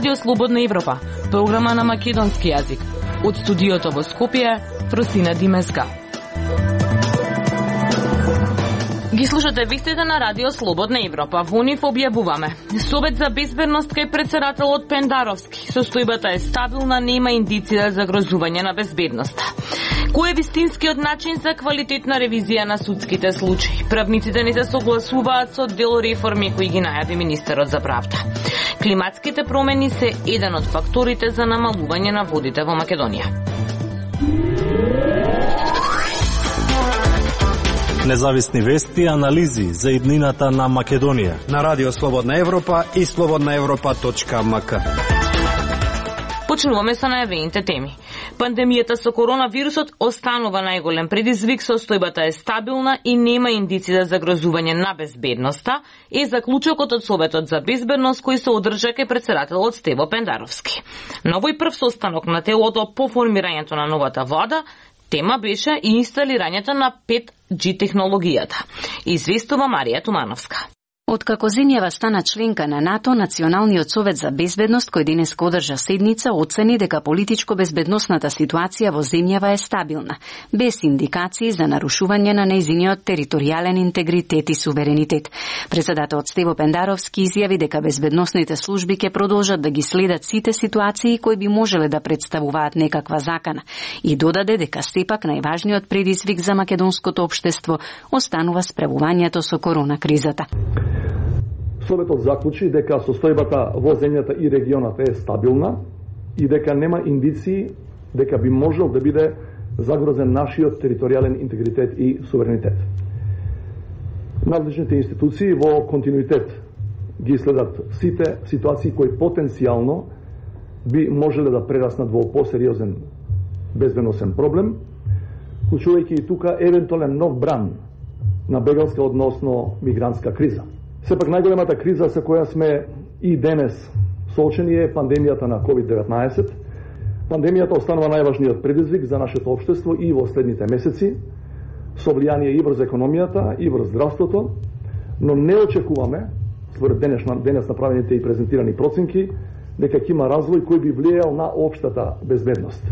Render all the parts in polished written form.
Радио Слободна Европа, програма на македонски јазик. Од студиото во Скопје, Фросина Димеска. Ги слушате вестите на Радио Слободна Европа. Во нив објавуваме: Совет за безбедност кај претседателот Пендаровски. Состојбата е стабилна, нема индици за загрозување на безбедноста. Кој е вистинскиот начин за квалитетна ревизија на судските случаи? Правниците не се согласуваат со дел реформи кои ги најави министерот за правда. Климатските промени се еден од факторите за намалување на водите во Македонија. Независни вести и анализи за иднината на Македонија на Радио Слободна Европа и slobodnaevropa.mk. Почнуваме со најавените теми. Пандемијата со коронавирусот останува најголем предизвик, состојбата е стабилна и нема индици за загрозување на безбедноста, е заклучокот од Советот за безбедност кој се одржа кај претседателот Стево Пендаровски. На овој прв состанок на телото по формирањето на новата влада, тема беше и инсталирањето на 5G технологијата. Известува Марија Тумановска. Откако земјава стана членка на НАТО, Националниот совет за безбедност, кој денеска одржа седница, оцени дека политичко-безбедносната ситуација во земјава е стабилна, без индикации за нарушување на нејзиниот територијален интегритет и суверенитет. Претседателот Стево Пендаровски изјави дека безбедносните служби ќе продолжат да ги следат сите ситуации кои би можеле да представуваат некаква закана и додаде дека сепак најважниот предизвик за македонското општество останува справувањето со корона кризата. Советот заклучи дека состојбата во земјата и регионот е стабилна и дека нема индиции дека би можел да биде загрозен нашиот територијален интегритет и суверенитет. Надлежните институции во континуитет ги следат сите ситуации кои потенцијално би можеле да прераснат во посериозен безбедносен проблем, вклучувајќи и тука евентуален нов бран на бегалска односно мигрантска криза. Сепак најголемата криза со која сме и денес соочени е пандемијата на COVID-19. Пандемијата останува најважниот предизвик за нашето општество и во следните месеци, со влијание и врз економијата, и врз здравството, но не очекуваме, според денес направените и презентирани проценки, дека ќе има развој кој би влијал на општата безбедност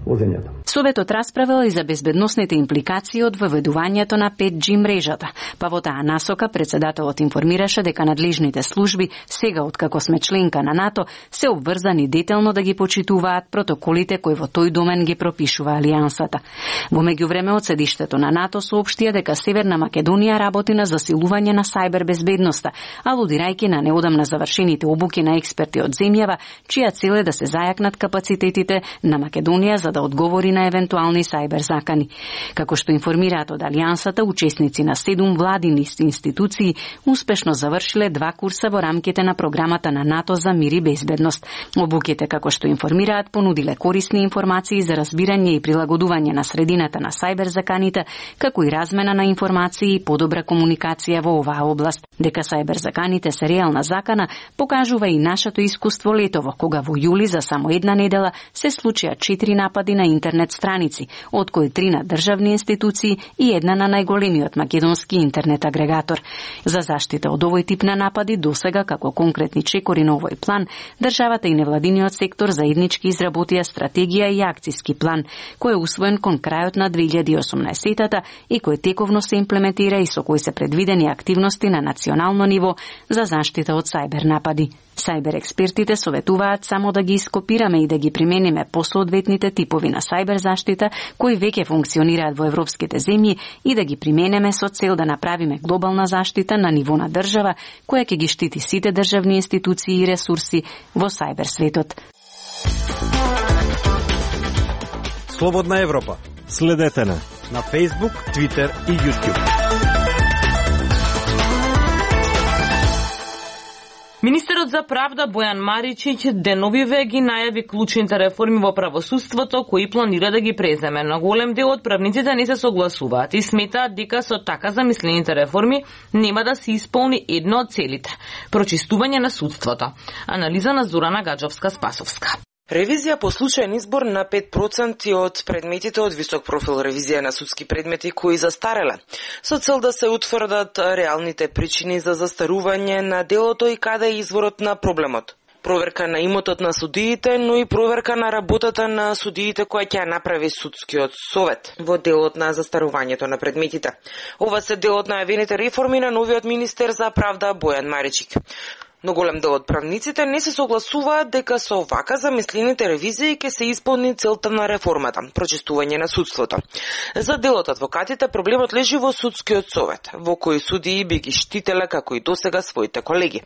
во земјата. Советот расправил и за безбедносните импликации од воведувањето на 5G мрежата, па во таа насока претседателот информираше дека надлежните служби, сега откако сме членка на НАТО, се обврзани детелно да ги почитуваат протоколите кои во тој домен ги пропишува Алијансата. Во меѓувреме од седиштето на НАТО соопштија дека Северна Македонија работи на засилување на сајбер безбедноста, алудирајќи на неодамна завршените обуки на експерти од земјава, чија цел е да се зајакнат капацитетите на Македонија за да одговори на евентуални сајбер закани. Како што информираат од Алијансата, учесници на 7 владини институции успешно завршиле 2 курса во рамките на програмата на НАТО за мир и безбедност. Обуките, како што информираат, понудиле корисни информации за разбирање и прилагодување на средината на сајбер заканите, како и размена на информации и подобра комуникација во оваа област. Дека сајбер заканите се реална закана, покажува и нашето искуство летово, кога во јули за само една недела се случија 4 напади на интернет страници, од кои 3 на државни институции и една на најголемиот македонски интернет агрегатор. За заштита од овој тип на напади досега, како конкретни чекори на овој план, државата и невладиниот сектор заеднички изработија стратегија и акциски план, кој е усвоен кон крајот на 2018-та и кој тековно се имплементира и со кој се предвидени активности на национално ниво за заштита од сајбер напади. Сајбер експертите советуваат само да ги ископираме и да ги примениме по соодветните типови на сајбер заштита кои веќе функционираат во европските земји и да ги применеме со цел да направиме глобална заштита на ниво на држава која ќе ги штити сите државни институции и ресурси во сајбер светот. Слободна Европа. Следете на Facebook, Twitter и YouTube. Министерот за правда Бојан Маричиќ деновиве ги најави клучните реформи во правосудството кои планира да ги преземе. На голем дел од правниците не се согласуваат и сметаат дека со така замислените реформи нема да се исполни едно од целите – прочистување на судството. Анализа на Зорана Гаджовска-Спасовска. Ревизија по случајен избор на 5% од предметите од висок профил ревизија на судски предмети кои застареле, со цел да се утврдат реалните причини за застарување на делото и каде е изворот на проблемот. проверка на имотот на судиите, но и проверка на работата на судиите која ќе ја направи судскиот совет во делот на застарувањето на предметите. Ова се дел од најавените реформи на новиот министер за правда Бојан Маричик. Но голем дел од правниците не се согласуваат дека со вака замислените ревизии ќе се исполни целта на реформата – прочистување на судството. За дел од адвокатите проблемот лежи во судскиот совет, во кој судии би ги штителе како и досега своите колеги.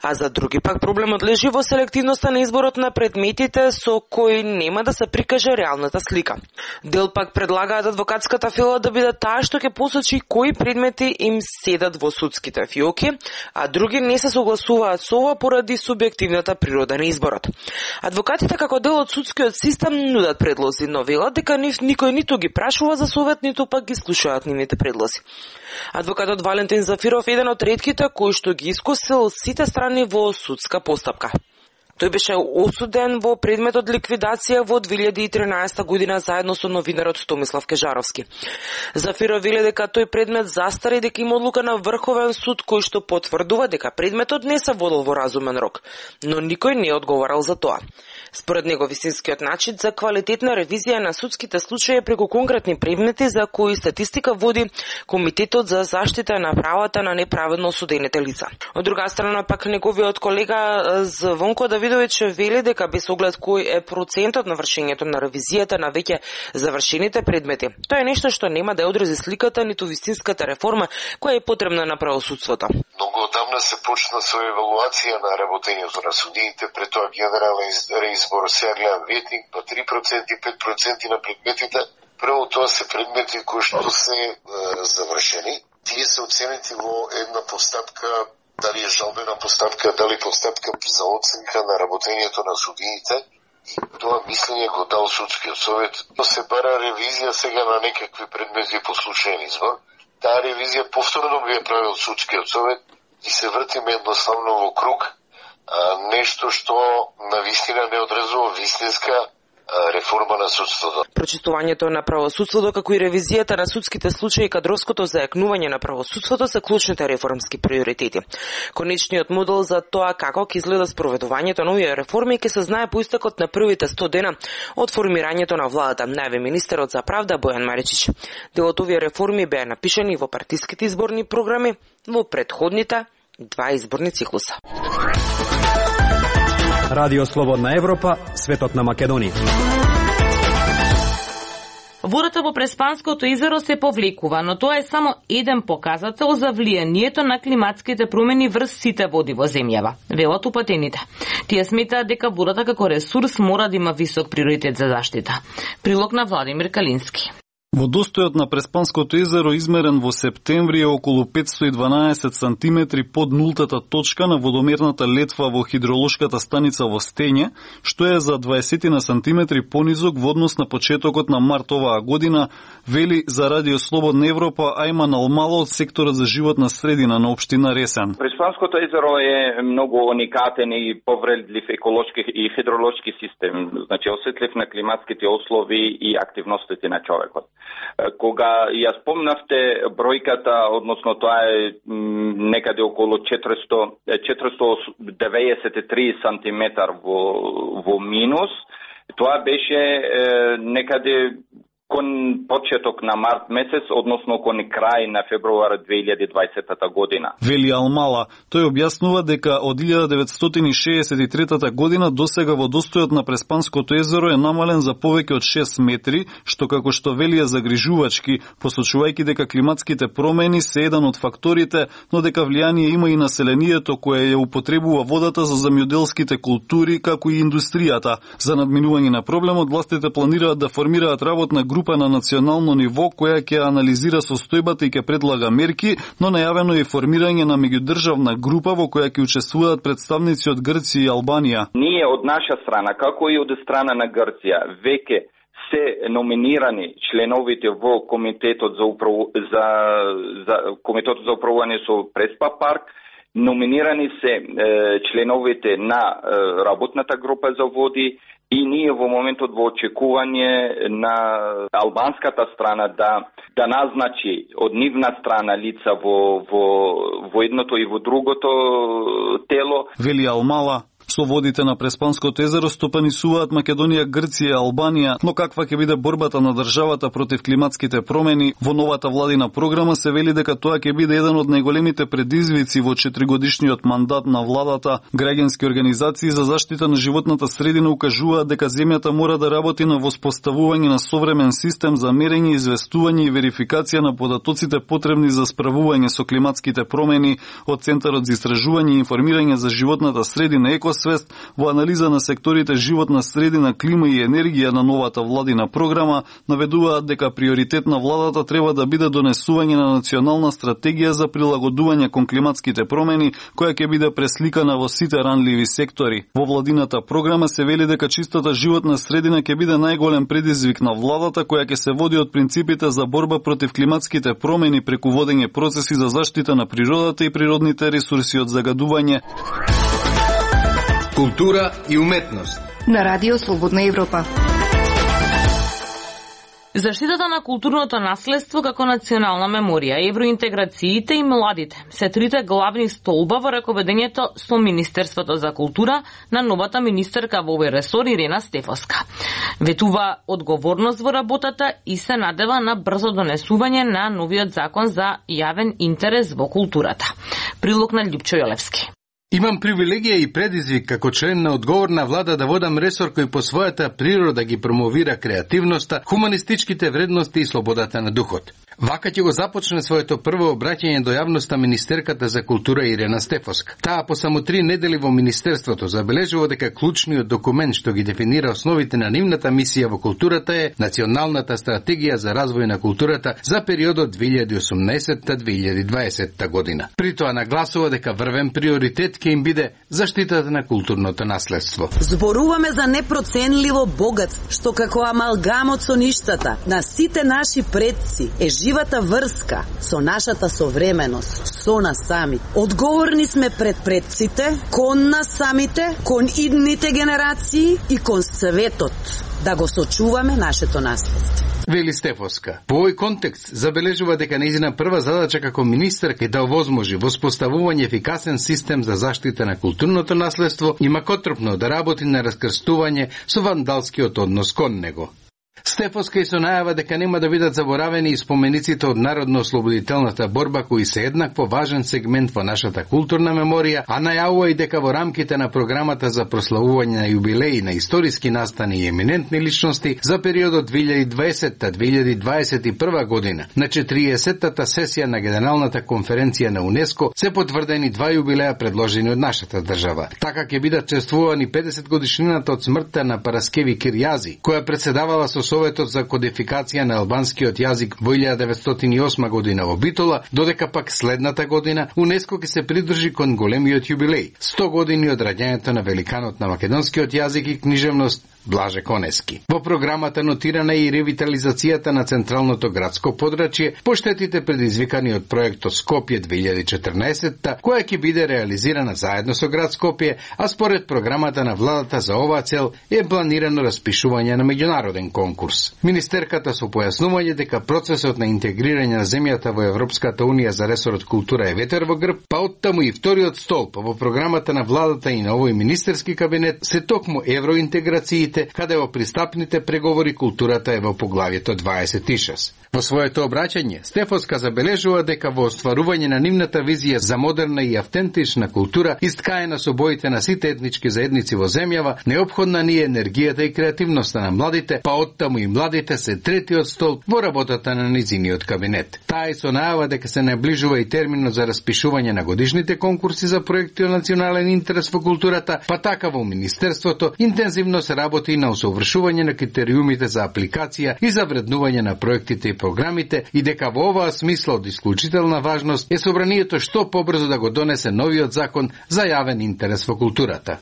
А за други пак проблемот лежи во селективноста на изборот на предметите со кој нема да се прикаже реалната слика. Дел пак предлагаат адвокатската фила да биде таа што ќе посочи кои предмети им седат во судските фиоки, а други не се согласуваат со ова поради субјективната природа на изборот. Адвокатите како дел од судскиот систем нудат предлози, но велат дека никој ниту ги прашува за совет, ниту пак ги слушаат нивните предлози. Адвокатот Валентин Зафиров е еден од ретките кој што ги искусил сите страни во судска постапка. Тој беше осуден во предметот ликвидација во 2013 година заедно со новинарот Томислав Кежаровски. Зафиров вели дека тој предмет застари, дека има одлука на Врховен суд кој што потврдува дека предметот не се водел во разумен рок, но никој не одговарал за тоа. Според него вистинскиот начин за квалитетна ревизија на судските случаи преку конкретни предмети за кои статистика води Комитетот за заштита на правата на неправедно осудените лица. Од друга страна пак неговиот колега Звонко Давидович вели дека без оглед кој е процентот на вршењето на ревизијата на веќе завршените предмети, тоа е нешто што нема да одрази сликата ниту вистинската реформа која е потребна на правосудството. Многу одамна се почна со евалуација на работењето на судиите, пред тоа генерален реизбор, сега гледам ветник, па 3% и 5% на предметите. Прво тоа се предмети кои што се завршени. Тие се оценети во една постапка, дали е жалбена постапка, дали постапка за оценка на работењето на судиите. Тоа мислење го дал судскиот совет. То се бара ревизија сега на некакви предмети по случаен избор. Таа ревизија повторно би ја правил судскиот совет и се вртиме едноставно во круг, нешто што навистина не одразува вистинска реформа на судството. Прочистувањето на правосудството, како и ревизијата на судските случаи и кадровското зајакнување на правосудството се клучните реформски приоритети. Конечниот модел за тоа како ќе изгледа спроведувањето на овие реформи ќе се знае по истекот на првите 100 дена од формирањето на владата, најави министерот за правда Бојан Маричич. Дел од овие реформи беа напишани во партиските изборни програми во претходните 2 изборни циклуса. Радио Слободна Европа, светот на Македонија. Водата во Преспанското езеро се повлекува, но тоа е само еден показател за влијанието на климатските промени врз сите води во земјава, велат упатените. Тие сметаат дека водата како ресурс мора да има висок приоритет за заштита. Прилог на Владимир Калински. Водостојот на Преспанското езеро измерен во септември е околу 512 сантиметри под нултата точка на водомерната летва во хидролошката станица во Стење, што е за 20 сантиметри понизок во однос на почетокот на март оваа година, вели за Радио Слободна Европа Ајман Алмало од секторот за животна средина на општина Ресен. Преспанското езеро е многу уникатен и повредлив еколошки и хидролошки систем, значи осетлив на климатските услови и активностите на човекот. Кога ја спомнавте бројката, односно тоа е некаде околу 493 сантиметар во минус, тоа беше некаде кон почеток на март месец, односно кон крај на февруар 2020 година. Вели Алмала, тој објаснува дека од 1963 година досега водостојот на Преспанското езеро е намален за повеќе од 6 метри, што како што вели е загрижувачки, посочувајќи дека климатските промени се еден од факторите, но дека влијание има и населението кое ја употребува водата за земјоделските култури, како и индустријата. За надминување на проблемот, властите планираат да формираат работна група на национално ниво која ќе анализира состојбата и ќе предлага мерки, но најавено е формирање на меѓудржавна група во која ќе учествуваат представници од Грција и Албанија. Ние од наша страна, како и од страна на Грција, веќе се номинирани членовите во Комитетот за управување со Преспа парк, номинирани се членовите на работната група за води, и ние во моментот во очекување на албанската страна да назначи од нивна страна лица во едното и во другото тело. Вели Алмала, Со водите на Преспанското езеро стопанисуваат Македонија, Грција, Албанија, но каква ќе биде борбата на државата против климатските промени? Во новата владина програма се вели дека тоа ќе биде еден од најголемите предизвици во 4-годишниот мандат на владата. Граѓански организации за заштита на животната средина укажуваат дека земјата мора да работи на воспоставување на современ систем за мерење, известување и верификација на податоците потребни за справување со климатските промени. Од Центарот за истражување и информирање за животната средина Екосвест во анализа на секторите животна средина, клима и енергија на новата владина програма наведуваат дека приоритет на владата треба да биде донесување на национална стратегија за прилагодување кон климатските промени, која ќе биде пресликана во сите ранливи сектори. Во владината програма се вели дека чистата животна средина ќе биде најголем предизвик на владата, која ќе се води од принципите за борба против климатските промени преку водење процеси за заштита на природата и природните ресурси од загадување. Култура и уметност на Радио Слободна Европа. Заштитата на културното наследство како национална меморија, евроинтеграциите и младите се трите главни столба во раковедењето со Министерството за култура на новата министерка во овој ресор Ирена Стефоска. Ветува одговорност во работата и се надева на брзо донесување на новиот закон за јавен интерес во културата. Прилог на Љупчо Јолевски. Имам привилегија и предизвик како член на одговорна влада да водам ресор кој по својата природа ги промовира креативноста, хуманистичките вредности и слободата на духот. Вака ќе го започне своето прво обраќање до јавноста министерката за култура Ирена Стефоска. Таа по само 3 недели во министерството забележува дека клучниот документ што ги дефинира основите на нивната мисија во културата е Националната стратегија за развој на културата за периодот 2018-2020 година. При тоа нагласува дека врвен приоритет ќе им биде заштитата на културното наследство. Зборуваме за непроценливо богатство, што како амалгамот со ништата на сите наши предци е живата врска со нашата современост, со нас самите. Одговорни сме пред предците, кон нас самите, кон идните генерации и кон светот, да го сочуваме нашето наследство. Вели Стефоска. По овој контекст забележува дека нејзина прва задача како министерка е да овозможи воспоставување ефикасен систем за заштита на културното наследство и макотропно да работи на раскрстување со вандалскиот однос кон него. Стефоска и со најава дека нема да бидат заборавени и спомениците од народно-ослободителната борба кои се еднакво важен сегмент во нашата културна меморија, а најавува и дека во рамките на програмата за прославување на јубилеи на историски настани и еминентни личности за периодот 2020-2021 година на 40-тата сесија на Генералната конференција на УНЕСКО се потврдени 2 јубилеа предложени од нашата држава. Така ќе бидат чествувани 50 годишнината од смртта на Параскеви Кирјази, која председавала со Советот за кодификација на албанскиот јазик во 1908 година во Битола, додека пак следната година УНЕСКО ќе се придржи кон големиот јубилеј 100 години од раѓањето на великанот на македонскиот јазик и книжевност Блаже Конески. Во програмата нотирана и ревитализацијата на централното градско подрачје по штетите предизвикани од проектот Скопје 2014, која ќе биде реализирана заедно со град Скопје, а според програмата на владата за оваа цел е планирано распишување на меѓународен конкурс. Министерката со појаснување дека процесот на интегрирање на земјата во Европската унија за ресорот култура е ветер во грб, па оттаму и вториот столб во програмата на владата и на овој министерски кабинет се токму евроинтеграциите, каде во пристапните преговори културата е во поглавието 26. Во своето обраќање, Стефоска забележува дека во остварување на нивната визија за модерна и автентична култура, искаена со боите на сите етнички заедници во земјава, неопходна ни е енергијата и креативноста на младите, па оттаму и младите се третиот столб во работата на низиниот кабинет. Таа и со најава дека се наближува и терминот за распишување на годишните конкурси за проекти од национален интерес во културата, па така во Министерството интензивно се работи на усовршување на критериумите за апликација и за вреднување на проектите и програмите и дека во оваа смисла од исклучителна важност е собранието што побрзо да го донесе новиот закон за јавен интерес во културата.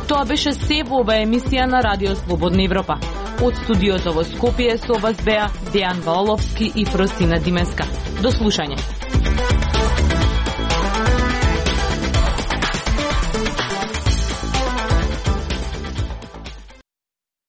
Тоа беше се во оваа емисија на Радио Слободна Европа. Од студиото во Скопје со вас беа Дејан Валовски и Фросина Димеска. До слушање.